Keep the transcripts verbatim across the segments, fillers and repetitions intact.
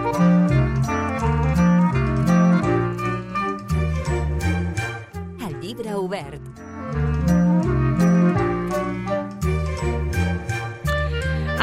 El llibre obert.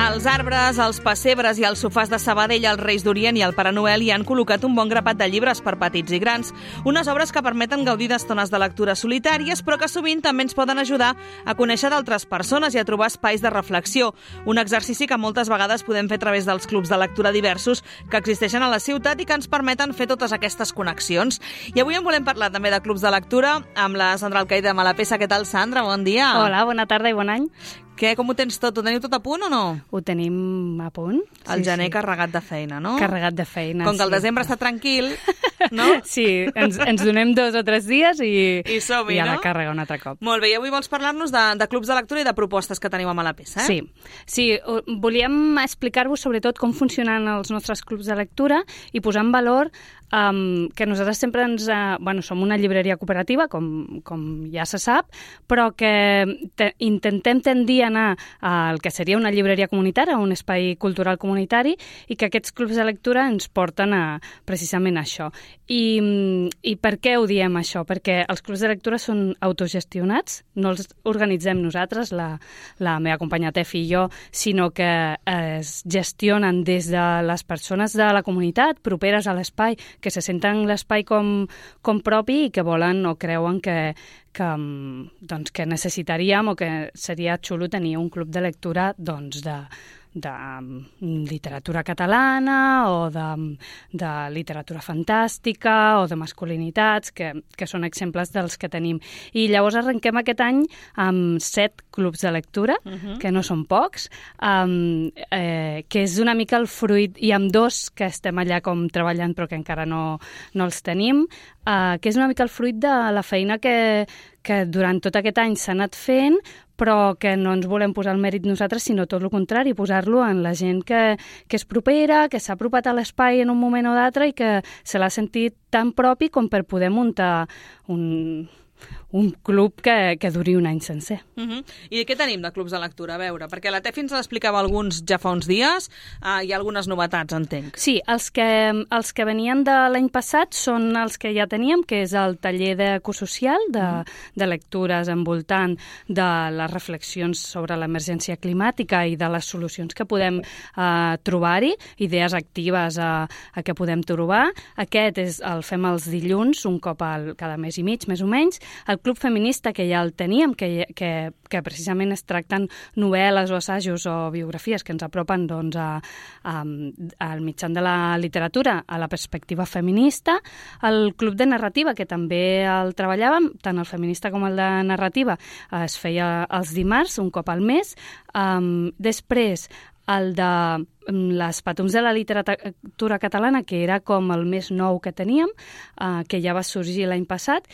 Els arbres, els pessebres i els sofàs de Sabadell, els Reis d'Orient i el Pare Noel hi han col·locat un bon grapat de llibres per petits i grans. Unes obres que permeten gaudir d'estones de lectura solitàries, però que sovint també ens poden ajudar a conèixer d'altres persones i a trobar espais de reflexió. Un exercici que moltes vegades podem fer a través dels clubs de lectura diversos que existeixen a la ciutat i que ens permeten fer totes aquestes connexions. I avui en volem parlar també de clubs de lectura amb la Sandra Alcaide de Malapesa. Què tal, Sandra? Bon dia. Hola, bona tarda i bon any. Què, com ho tens tot? Ho teniu tot a punt o no? Ho tenim a punt. El sí, gener sí. Carregat de feina, no? Carregat de feina, Com que el sí. desembre està tranquil, no? Sí, ens, ens donem dos o tres dies i, I som-hi, i a la no? càrrega un altre cop. Molt bé, i avui vols parlar-nos de, de clubs de lectura i de propostes que teniu a Malapesa, eh? Sí, sí, volíem explicar-vos sobretot com funcionen els nostres clubs de lectura i posar en valor um, que nosaltres sempre ens... Uh, bueno, som una llibreria cooperativa, com, com ja se sap, però que te, intentem tendir a anar al que seria una llibreria comunitària, un espai cultural comunitari, i que aquests clubs de lectura ens porten a precisament a això. I, i per què ho diem, això? Perquè els clubs de lectura són autogestionats, no els organitzem nosaltres, la, la meva companya Tefi i jo, sinó que es gestionen des de les persones de la comunitat, properes a l'espai, que se senten l'espai com, com propi i que volen o creuen que, que, doncs, que necessitaríem o que seria xulo tenir un club de lectura doncs, de, de literatura catalana o de, de literatura fantàstica o de masculinitats, que, que són exemples dels que tenim. I llavors arrenquem aquest any amb set clubs de lectura, uh-huh. que no són pocs, um, eh, que és una mica el fruit, i amb dos que estem allà com treballant però que encara no, no els tenim, uh, que és una mica el fruit de la feina que, que durant tot aquest any s'ha anat fent, però que no ens volem posar el mèrit nosaltres, sinó tot el contrari, posar-lo en la gent que, que és propera, que s'ha apropat a l'espai en un moment o d'altre i que se l'ha sentit tan propi com per poder muntar un, un club que, que duri un any sencer. Uh-huh. I què tenim de clubs de lectura? A veure, perquè la Tefi ens l'explicava alguns ja fa uns dies, uh, hi ha algunes novetats, entenc. Sí, els que, els que venien de l'any passat són els que ja teníem, que és el taller d'ecosocial, de, uh-huh. de lectures envoltant de les reflexions sobre l'emergència climàtica i de les solucions que podem uh, trobar-hi, idees actives a, a què podem trobar. Aquest és, el fem els dilluns, un cop al, cada mes i mig, més o menys. El Club Feminista, que ja el teníem, que, que, que precisament es tracten novel·les o assajos o biografies que ens apropen doncs, a, a, al mitjan de la literatura, a la perspectiva feminista. El Club de Narrativa, que també el treballàvem, tant el feminista com el de narrativa, es feia els dimarts, un cop al mes. Um, després, el de les Patums de la literatura catalana, que era com el més nou que teníem, uh, que ja va sorgir l'any passat,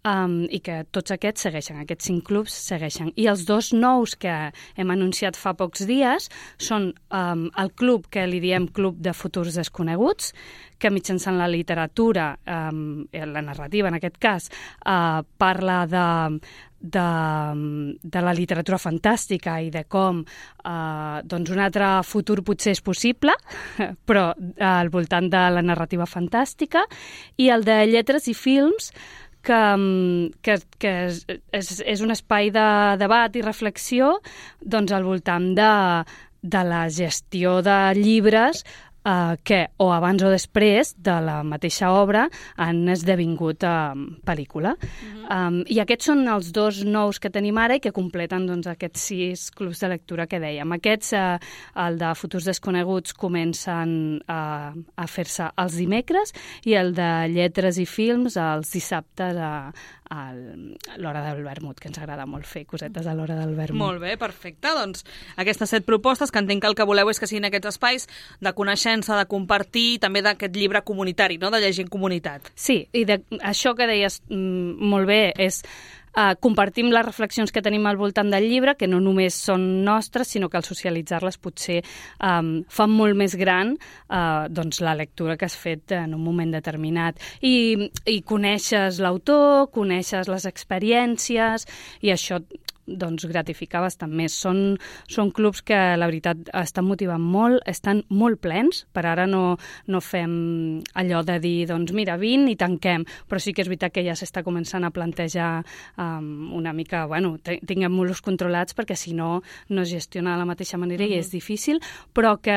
Um, i que tots aquests segueixen, aquests cinc clubs segueixen. I els dos nous que hem anunciat fa pocs dies són um, el club que li diem Club de Futurs Desconeguts, que mitjançant la literatura, um, la narrativa en aquest cas, uh, parla de, de, de la literatura fantàstica i de com uh, doncs un altre futur potser és possible, però uh, al voltant de la narrativa fantàstica, i el de lletres i films, que, que, que és, és un espai de debat i reflexió doncs, al voltant de, de la gestió de llibres Uh, que o abans o després de la mateixa obra han esdevingut uh, pel·lícula. Uh-huh. Um, I aquests són els dos nous que tenim ara i que completen doncs, aquests sis clubs de lectura que dèiem. Aquests, uh, el de Futurs Desconeguts, comencen uh, a fer-se els dimecres i el de Lletres i Films els dissabtes a, a l'hora del vermut, que ens agrada molt fer cosetes a l'hora del vermut. Molt bé, perfecte. Doncs aquestes set propostes, que entenc que el que voleu és que siguin aquests espais de coneixença, de compartir, també d'aquest llibre comunitari, no?, de llegir en comunitat. Sí, i de, això que deies mm, molt bé és uh, compartim les reflexions que tenim al voltant del llibre, que no només són nostres, sinó que al socialitzar-les potser um, fan molt més gran uh, doncs la lectura que has fet en un moment determinat. I, i coneixes l'autor, coneixes les experiències, i això doncs gratificar bastant més. Són, són clubs que, la veritat, estan motivant molt, estan molt plens. Per ara no, no fem allò de dir, doncs mira, vint i tanquem, però sí que és veritat que ja s'està començant a plantejar um, una mica, bueno, tinguem-los controlats perquè si no, no es gestiona de la mateixa manera uh-huh. i és difícil, però que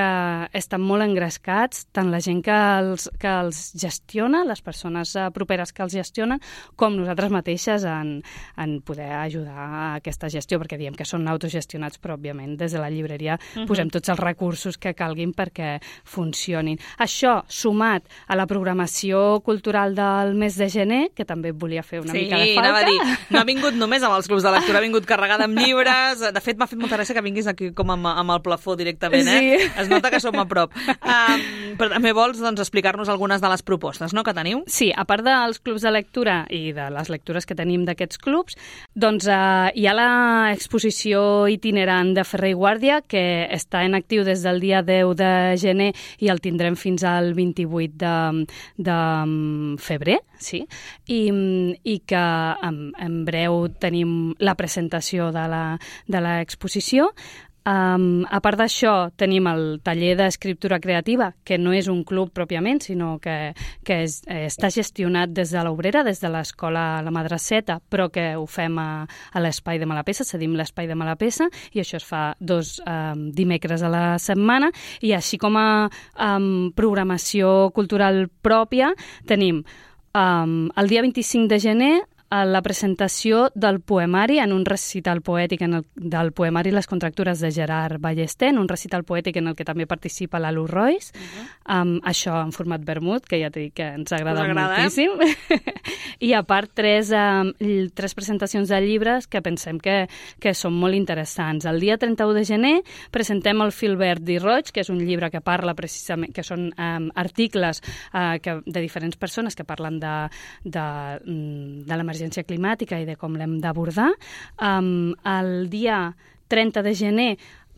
estan molt engrescats, tant la gent que els, que els gestiona, les persones properes que els gestionen, com nosaltres mateixes en, en poder ajudar a aquesta gestió, perquè diem que són autogestionats, però òbviament des de la llibreria uh-huh. posem tots els recursos que calguin perquè funcionin. Això, sumat a la programació cultural del mes de gener, que també volia fer una sí, mica de falta. Sí, anava a dir, no ha vingut només amb els clubs de lectura, ha vingut carregada amb llibres. De fet, m'ha fet molta gràcia que vinguis aquí com amb, amb el plafó directament, eh? Sí. Es nota que som a prop. Um, però també vols doncs, explicar-nos algunes de les propostes, no?, que teniu? Sí, a part dels clubs de lectura i de les lectures que tenim d'aquests clubs, doncs eh, hi ha l'exposició itinerant de Ferrer i Guàrdia, que està en actiu des del dia deu de gener i el tindrem fins al vint-i-vuit de, de febrer, sí, i, i que en, en breu tenim la presentació de la, de l'exposició. Um, a part d'això, tenim el taller d'escriptura creativa, que no és un club pròpiament, sinó que, que és, eh, està gestionat des de l'Obrera, des de l'escola La Madraceta, però que ho fem a, a l'espai de Malapesa, cedim l'espai de Malapesa, i això es fa dos um, dimecres a la setmana, i així com a um, programació cultural pròpia, tenim um, el dia vint-i-cinc de gener a la presentació del poemari en un recital poètic en el, del poemari Les contractures de Gerard Ballester, en un recital poètic en el que també participa la Luz Royce, uh-huh. um, això en format vermut, que ja t'he dit que ens agrada, agrada moltíssim. Eh? I a part, tres, um, tres presentacions de llibres que pensem que, que són molt interessants. El dia trenta-u de gener presentem el Fil Verd i Roig, que és un llibre que parla precisament, que són um, articles uh, que, de diferents persones que parlen de, de, de l'emergència climàtica i de com l'hem d'abordar. Um, el dia trenta de gener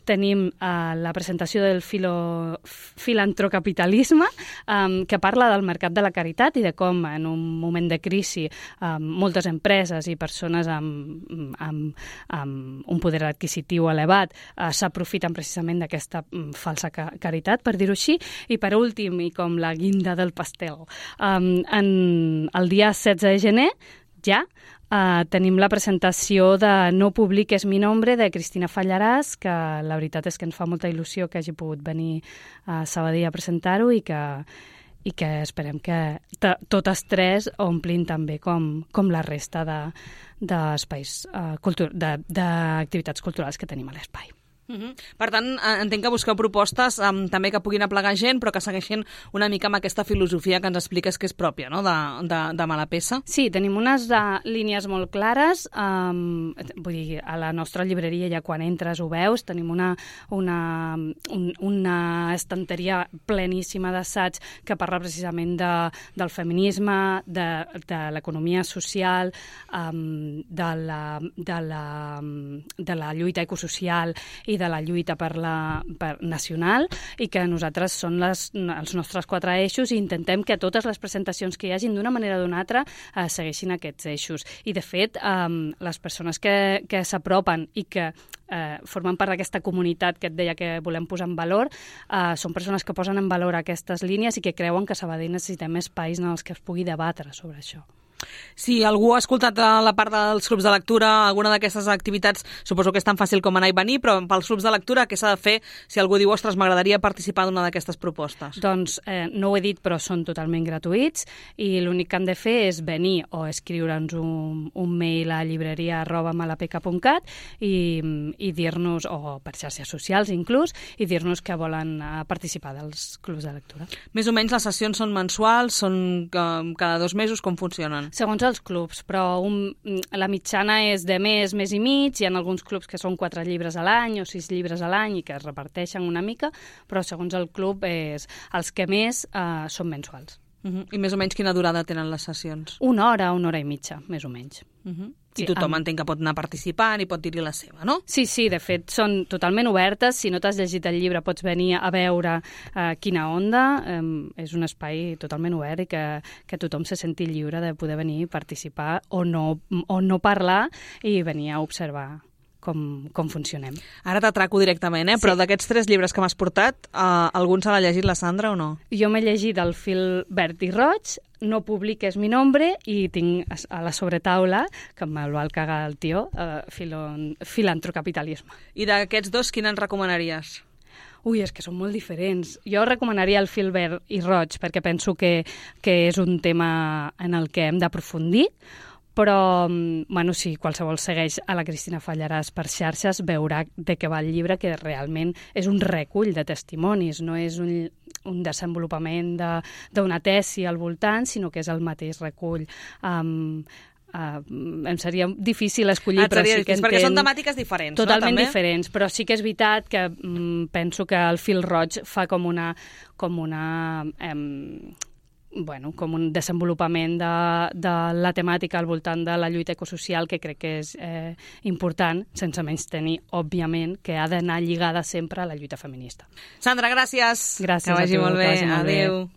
tenim uh, la presentació del filo, filantrocapitalisme, um, que parla del mercat de la caritat i de com en un moment de crisi um, moltes empreses i persones amb, amb, amb un poder adquisitiu elevat uh, s'aprofiten precisament d'aquesta um, falsa ca caritat, per dir-ho així. I per últim, i com la guinda del pastel, um, en el dia setze de gener ja uh, tenim la presentació de No publiques mi nombre, de Cristina Fallaràs, que la veritat és que ens fa molta il·lusió que hagi pogut venir a Sabadell a presentar-ho i que, i que esperem que totes tres omplin també com, com la resta d'espais, de, uh, d'activitats culturals que tenim a l'espai. Uh-huh. Per tant, entenc que busqueu propostes um, també que puguin aplegar gent, però que segueixin una mica amb aquesta filosofia que ens expliques que és pròpia, no?, de, de, de Malapesa. Sí, tenim unes uh, línies molt clares. Um, vull dir, a la nostra llibreria ja quan entres ho veus, tenim una, una, un, una estanteria pleníssima d'assaig que parla precisament de, del feminisme, de, de l'economia social, um, de, la, de, la, de la lluita ecosocial i de la lluita per la, per nacional, i que nosaltres són les, els nostres quatre eixos i intentem que totes les presentacions que hi hagin d'una manera o d'una altra eh, segueixin aquests eixos. I, de fet, eh, les persones que, que s'apropen i que eh, formen part d'aquesta comunitat que et deia que volem posar en valor, eh, són persones que posen en valor aquestes línies i que creuen que a Sabadell necessitem espais en els que es pugui debatre sobre això. Si algú ha escoltat la part dels clubs de lectura, alguna d'aquestes activitats, suposo que és tan fàcil com anar i venir, però pels clubs de lectura, què s'ha de fer si algú diu, ostres, m'agradaria participar d'una d'aquestes propostes? Doncs eh, no ho he dit, però són totalment gratuïts i l'únic que han de fer és venir o escriure'ns un, un mail a llibreria arroba malapeca punt cat i, i dir-nos, o per xarxes socials inclús, i dir-nos que volen participar dels clubs de lectura. Més o menys les sessions són mensuals, són cada dos mesos, com funcionen? Segons els clubs, però un, la mitjana és de mes, mes i mig, hi ha alguns clubs que són quatre llibres a l'any o sis llibres a l'any i que es reparteixen una mica, però segons el club és, els que més eh, són mensuals. Uh-huh. I més o menys quina durada tenen les sessions? Una hora, una hora i mitja, més o menys. Uh-huh. I sí, tothom amb... entenc que pot anar participant i pot dir-hi la seva, no? Sí, sí, de fet, són totalment obertes. Si no t'has llegit el llibre, pots venir a veure uh, quina onda. Um, és un espai totalment obert i que, que tothom se senti lliure de poder venir i participar o no, o no parlar i venir a observar com, com funcionem. Ara t'atraco directament, eh? Sí. Però d'aquests tres llibres que m'has portat, eh, algun se l'ha llegit la Sandra o no? Jo m'he llegit El fil verd i roig, No publiques mi nombre, i tinc a la sobretaula, que me'l va cagar el tio, eh, filon, filantrocapitalisme. I d'aquests dos, quin ens recomanaries? Ui, és que són molt diferents. Jo recomanaria El fil verd i roig, perquè penso que, que és un tema en el que hem d'aprofundir, però, bueno, si qualsevol segueix a la Cristina Fallaràs per xarxes, veurà de què va el llibre, que realment és un recull de testimonis, no és un, un desenvolupament d'una tesi al voltant, sinó que és el mateix recull. Um, uh, em seria difícil escollir, ah, però seria sí que difícil, perquè són temàtiques diferents, totalment no? També? diferents, però sí que és veritat que um, penso que el fil roig fa com una... Com una um, bueno, com un desenvolupament de, de la temàtica al voltant de la lluita ecosocial que crec que és eh, important, sense menys tenir, òbviament, que ha d'anar lligada sempre a la lluita feminista. Sandra, gràcies. Gràcies que vagi a tu, molt bé. que vagi molt Adéu. bé.